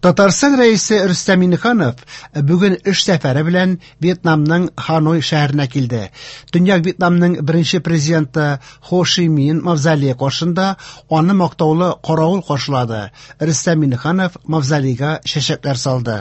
Татарстан Рәисе Рөстәм Миңнеханов бүген эш сәфәре белән Вьетнамның Ханой шәһәренә килде. Төньяк Вьетнамның беренче президенты Хо Ши Мин мавзолее каршында аны мактаулы каравыл каршылады. Рөстәм Миңнеханов мавзолейга чәчәкләр салды.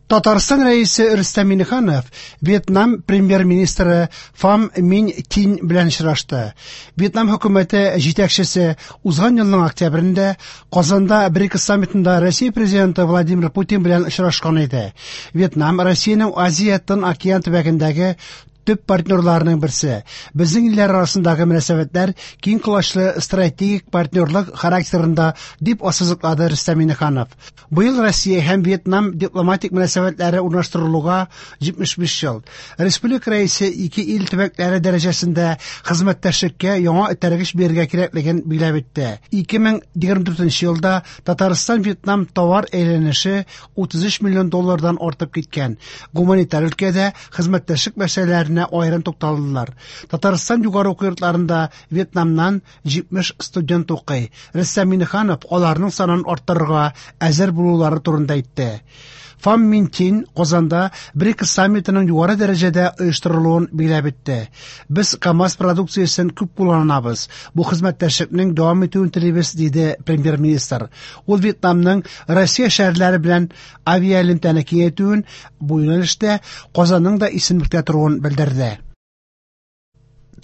Татарстан Рәисе Рөстәм Миңнеханов Вьетнам премьер-министры Фам Минь Тинь белән очрашты. Вьетнам хөкүмәте җитәкчесе узган елның октябрендә Казанда БРИКС саммитында Россия президенты Владимир Путин белән очрашкан иде. Вьетнам Россиянең Азия Тын океан төбәгендәге төп партнерларының берсе. Безнең илләр арасындагы мөнәсәбәтләр киң колачлы стратегик партнерлык характерында, дип ассызыклады Рөстәм Миңнеханов. Быел Россия һәм Вьетнам дипломатик мөнәсәбәтләре урнаштырылуга 75 ел. Республика Рәисе ике ил төбәкләре дәрәҗәсендә хезмәттәшлеккә яңа этәргеч бирергә кирәклеген билгеләп үтте. 2024 елда Татарстан-Вьетнам товар әйләнеше 33 миллион доллардан артып киткән. Гуманитар өлкәдә хезмәттәшлек мәсьәләләренә аерым тукталдылар. Татарстан югары уку йортларында Вьетнамнан 70 студент укый. Рөстәм Миңнеханов аларның санын арттырырга әзер булулары турында әйтте. Фам Мин Тин Казанда БРИКС саммитының югары дәрәҗәдә оештырылуын билгеләп үтте. Без КАМАЗ продукциясен күп кулланабыз. Бу хезмәттәшлекнең дәвам итүен телибез, диде премьер-министр. Ул Вьетнамның Россия шәһәрләре белән авиаэлемтәне киңәйтүен, бу юнәлештә Казанның да исемлектә торуын белдерде.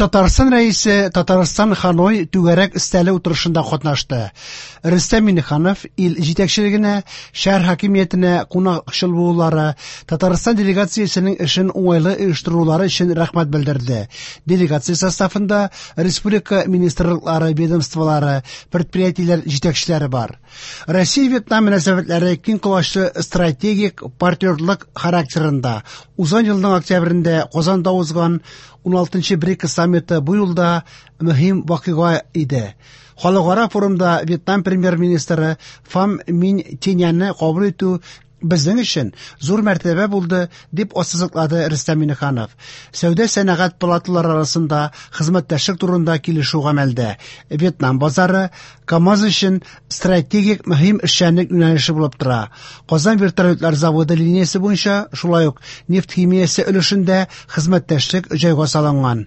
Татарстан Рәисе Татарстан Ханой түгәрәк өстәле утырышында катнашты. Рөстәм Миңнеханов ил җитәкчелегенә, шәһәр хакимиятенә кунакчыл булулары, Татарстан делегациясенең эшен уңайлы оештырулары өчен рәхмәт белдерде. Делегация составында республика министрлыклары, ведомстволары, предприятиеләр җитәкчеләре бар. Россия-Вьетнам мөнәсәбәтләре киң колачлы стратегик партнерлык характерында. Узган елның октябрендә Казанда узган 16-нчы БРИКС саммиты бу юлда мөһим вакыйга иде. Халыкара форумда Вьетнам премьер-министры Фам Минь Тиняны кабул итү безнең өчен зур мәртәбә булды, дип ассызыклады Рөстәм Миңнеханов. Сәүдә-сәнәгать палаталары арасында хезмәттәшлек турында килешү гамәлдә. Вьетнам базары КАМАЗ өчен стратегик мөһим эшчәнлек юнәлеше булып тора. Казан вертолетлар заводы линиясе буенча шулай ук нефть химиясе өлешендә хезмәттәшлек җайга салынган.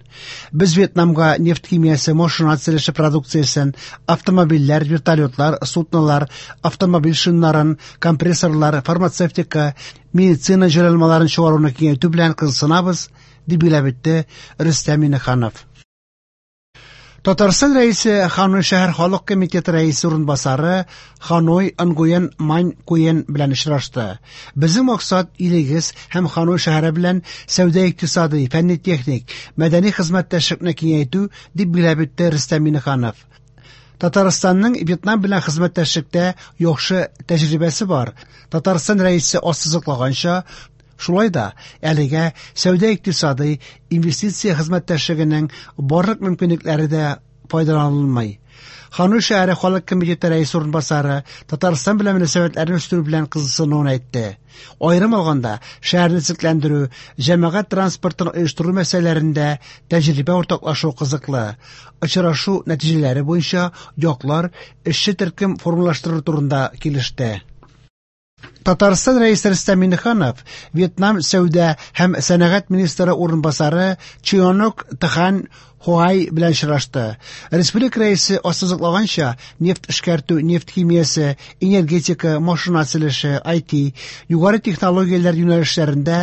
Без Вьетнамга нефть химиясе, машина төзелеше продукциясен, автомобильләр, вертолетлар, суднолар, автомобиль шиннарын, компрессорлар, фармацевтика, медицина җайланмаларын чыгаруны киңәйтү белән кызыксынабыз, дип билгеләп үтте Рөстәм Миңнеханов. Татарстан Рәисе Ханой шәһәр халык комитеты рәисе урынбасары Ханой Нгуен Мань Куен белән очрашты. Безнең максат илегез һәм Ханой шәһәре белән сәүдә-икътисадый, фәнни-техник, мәдәни хезмәттәшлекне киңәйтү, дип билгеләп үтте Рөстәм Миңнеханов. Татарстанның Вьетнам белән хезмәттәшлектә яхшы тәҗрибәсе бар. Татарстан Рәисе ассызыклаганча, шулай да әлегә сәүдә-икътисадый, инвестиция хезмәттәшлегенең барлык мөмкинлекләре дә файдаланылмый. Ханой шәһәре халык комитеты рәисе урынбасары Татарстан белән мөнәсәбәтләрне үстерү белән кызыксынуын әйтте. Аерым алганда, шәһәрне төзекләндерү, җәмәгать транспортын оештыру мәсьәләләрендә тәҗрибә уртаклашу кызыклы. Очрашу нәтиҗәләре буенча яклар эшче төркем формалаштыру турында килеште. Татарстан Рәисе Рөстәм Миңнеханов Вьетнам сәүдә һәм сәнәгать министры урынбасары Чионок Тхан Хуай белән очрашты. Республика Рәисе ассызыклаганча, нефть эшкәртү, нефть химиясе, энергетика, машина төзелеше, IT, югары технологияләр юнәлешләрендә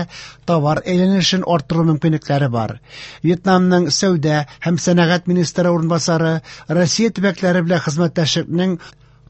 товар әйләнешен арттыру мөмкинлекләре бар. Вьетнамның сәүдә һәм сәнәгать министры урынбасары Россия төбәкләре белән хезмәттәшлекнең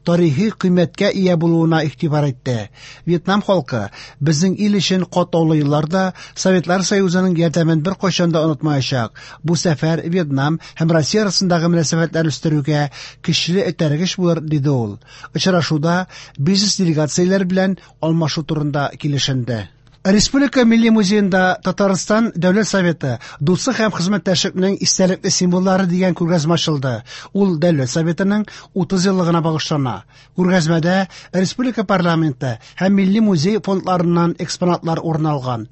тарихи кыйммәткә ия булуына игътибар итте. Вьетнам халкы безнең ил өчен катлаулы елларда Советлар Союзының ярдәмен беркайчан да онытмаячак. Бу сәфәр Вьетнам һәм Россия арасындагы мөнәсәбәтләрне үстерүгә көчле этәргеч булыр, диде ул. Очрашуда бизнес делегацияләр белән алмашу турында килешенде. Республика Милли музеенда Татарстан Дәүләт Советы дуслык һәм хезмәттәшлекнең истәлекле символлары дигән күргәзмә ачылды. Ул Дәүләт Советының 30 еллыгына багышлана. Күргәзмәдә республика парламенты һәм Милли музей фондларыннан экспонатлар урын алган.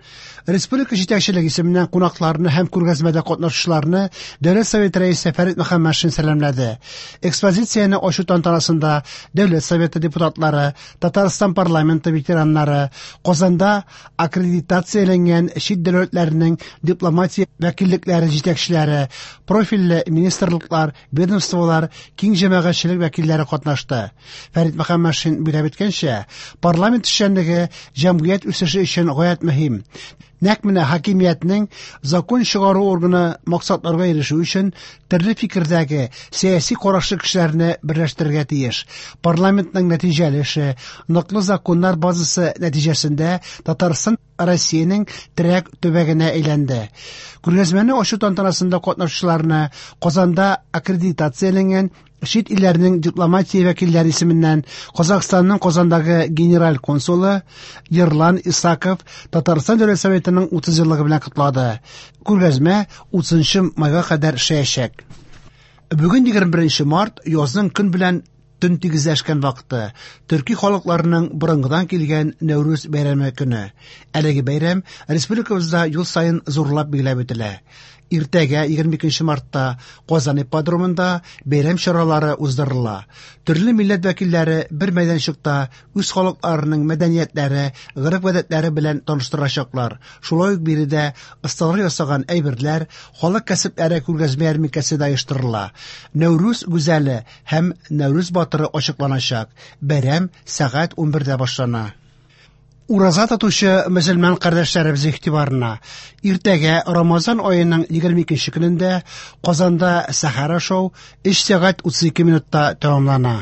Республика җитәкчелеге исеменнән кунакларны һәм күргәзмәдә катнашучыларны Дәүләт Советы рәисе Фәрит Мөхәммәтшин сәламләде. Экспозицияне ачу тантанасында Дәүләт Советы депутатлары, Татарстан парламенты ветераннары, Казанда аккредитацияләнгән чит дәүләтләрнең дипломатия вәкиллекләре җитәкчеләре, профильле министрлыклар, ведомстволар, киң җәмәгатьчелек вәкилләре катнашты. Фәрит Мөхәммәтшин билгеләп үткәнчә, парламент эшчәнлеге җәмгыять үсеше өчен гаять мөһим. Нәкъ менә хакимиятнең закон чыгару органы максатларга ирешү өчен төрле фикердәге, сәяси карашлы кешеләрне берләштерергә тиеш. Парламентның нәтиҗәле эше, ныклы законнар базасы нәтиҗәсендә Татарстан Россиянең терәк төбәгенә әйләнде. Күргәзмәне ачу тантанасында катнашучыларны Казанда аккредитацияләнгән чит илләрнең дипломатия вәкилләре исеменнән Казахстанның Казандагы генераль консулы Ерлан Исаков Татарстан Дәүләт Советының 30 еллыгы белән котлады. Күргәзмә 30 майга кадәр эшләячәк. Бүген 21 март язның көн белән төн тигезләшкән вакыты, төрки халыкларының борынгыдан килгән Нәүрүз бәйрәме көне. Әлеге бәйрәм республикабызда ел саен зурлап билгеләп үтелә. Иртәгә 22 мартта Казан ипподромында бәйрәм чаралары уздырыла. Төрле милләт вәкилләре бер мәйданчыкта үз халыкларының мәдәниятләре, гореф-гадәтләре белән таныштырачаклар. Шулай ук биредә осталар ясаган әйберләр, халык кәсепләре күргәзмә ярминкәсе дә оештырыла. Нәүрүз гүзәле һәм Нәүрүз батыры ачыкланачак. Бәйрәм сәгать 11дә башлана. Ураза тотучы мөселман кардәшләребез игътибарына! Иртәгә Рамазан аеның 22 көнендә Казанда сәхәр ашау 3 сәгать 32 минутта тәмамлана.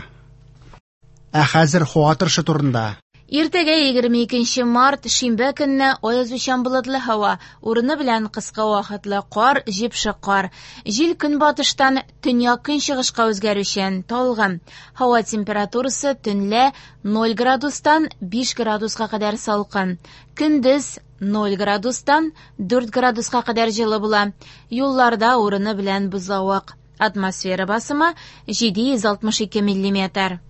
Ә хәзер һава торышы турында. Иртәгә 22 март, шимбә көнне аязучан болытлы һава, урыны белән кыска вакытлы кар, җепшек кар. Җил көнбатыштан төньяк-көнчыгышка үзгәрүчән, талгын. Һава температурасы төнлә 0 градустан 5 градуска кадәр салкын. Көндез 0 градустан 4 градуска кадәр җылы була. Юлларда урыны белән бозлавык. Атмосфера басымы 762 миллиметр.